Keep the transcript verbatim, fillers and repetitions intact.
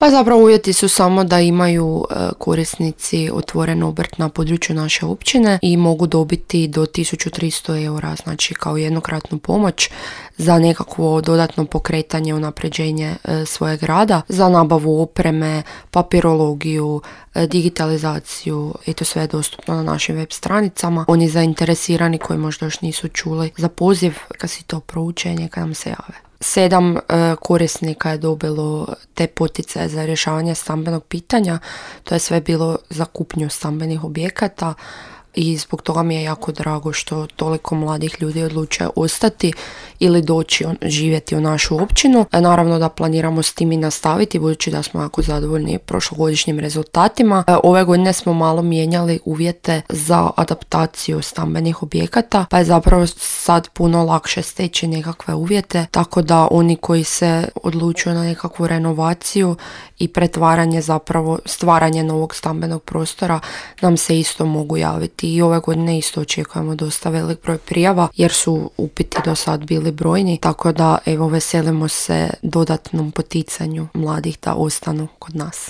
Pa zapravo uvjeti su samo da imaju e, korisnici otvoren obrt na području naše općine i mogu dobiti do tisuću tristo eura, znači kao jednokratnu pomoć za nekakvo dodatno pokretanje, unapređenje e, svojeg rada, za nabavu opreme, papirologiju, e, digitalizaciju, i to sve je dostupno na našim web stranicama. Oni zainteresirani koji možda još nisu čuli za poziv, kad si to prouče, neka nam se jave. Sedam e, korisnika je dobilo te poticaje za rješavanje stambenog pitanja. To je sve bilo za kupnju stambenih objekata i zbog toga mi je jako drago što toliko mladih ljudi odlučuje ostati ili doći on, živjeti u našu općinu. E, naravno da planiramo s tim i nastaviti, budući da smo jako zadovoljni prošlogodišnjim rezultatima. E, ove godine smo malo mijenjali uvjete za adaptaciju stambenih objekata, pa je zapravo sad puno lakše steći nekakve uvjete, tako da oni koji se odlučuju na nekakvu renovaciju i pretvaranje, zapravo stvaranje novog stambenog prostora, nam se isto mogu javiti. I ove godine isto očekujemo dosta velik broj prijava jer su upiti do sad bili brojni, tako da evo veselimo se dodatnom poticanju mladih da ostanu kod nas.